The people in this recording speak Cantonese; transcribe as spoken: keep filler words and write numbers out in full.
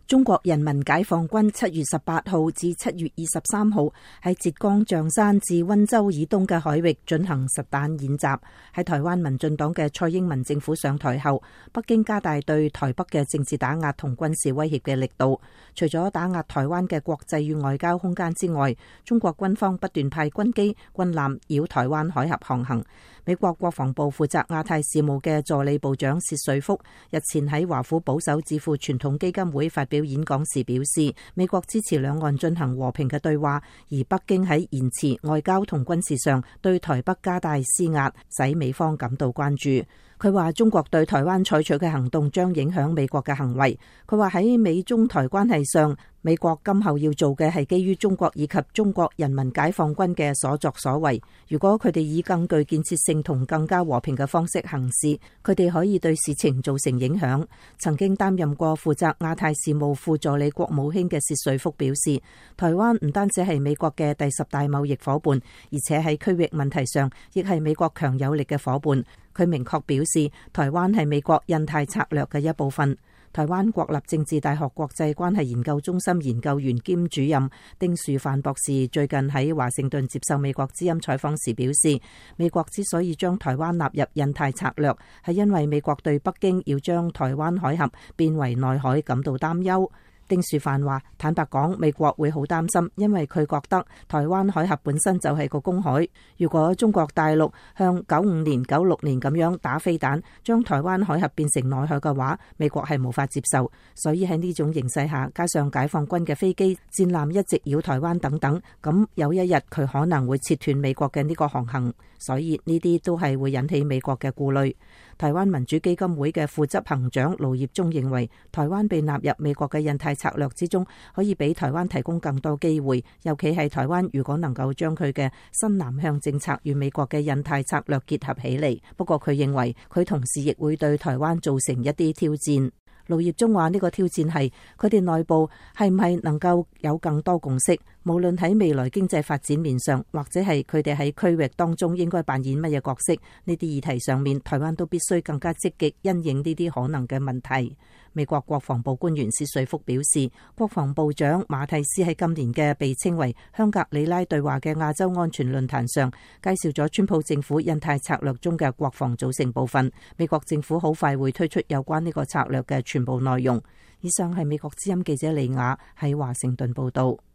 中國人民解放軍七月十八號至七月二十三號喺浙江象山至溫州以東嘅海域進行實彈演習。喺台灣民進黨嘅蔡英文政府上台後，北京加大對台北嘅政治打壓同軍事威脅嘅力度。除咗打壓台灣嘅國際與外交空間之外，中國軍方不斷派軍機、軍艦繞台灣海峽航行。美國國防部負責亞太事務嘅助理部長薛瑞福日前喺華府保守智庫傳統基金會發表演講時表示，美國支持兩岸進行和平嘅對話，而北京喺言辭、外交同軍事上對台北加大施壓，使美方感到關注。佢話中國對台灣採取嘅行動將影響美國嘅行為。佢話喺美中台關係上，美國今後要做嘅係基於中國以及中國人民解放軍嘅所作所為。如果佢哋以更具建設性同更加和平嘅方式行事，佢哋可以對事情造成影響。曾經擔任過負責亞太事務副助理國務卿嘅薛瑞福表示，台灣唔單止係美國嘅第十大貿易夥伴，而且喺區域問題上亦係美國強有力嘅夥伴。佢明確表示，台灣係美國印太策略嘅一部分。台灣國立政治大學國際關係研究中心研究員兼主任丁樹範博士最近喺華盛頓接受美國之音採訪時表示，美國之所以將台灣納入印太策略，係因為美國對北京要將台灣海峽變為內海感到擔憂。丁樹範話：坦白講，美國會好擔心，因為佢覺得台灣海峽本身就係個公海。如果中國大陸向九五年、九六年咁樣打飛彈，將台灣海峽變成內海嘅話，美國係無法接受。所以喺呢種形勢下，加上解放軍嘅飛機、戰艦一直繞台灣等等，咁有一日佢可能會切斷美國嘅呢個航行。所以呢啲都係會引起美國嘅顧慮。台灣民主基金會嘅副執行長盧業忠認為，台灣被納入美國嘅印太策略之中，可以俾台灣提供更多機會，尤其係台灣如果能夠將佢嘅新南向政策與美國嘅印太策略結合起嚟。不過佢認為，佢同時亦會對台灣造成一啲挑戰。盧業忠話呢個挑戰係佢哋內部係唔係能夠有更多共識，無論喺未來經濟發展面上，或者係佢哋喺區域當中應該扮演乜嘢角色，呢啲議題上面，台灣都必須更加積極因應呢啲可能嘅問題。美國國防部官員薛瑞福表示，國防部長馬蒂斯喺今年嘅被稱為香格里拉對話嘅亞洲安全論壇上，介紹咗川普政府印太策略中嘅國防組成部分。美國政府好快會推出有關呢個策略嘅全部內容。以上係美國之音記者李雅喺華盛頓報道。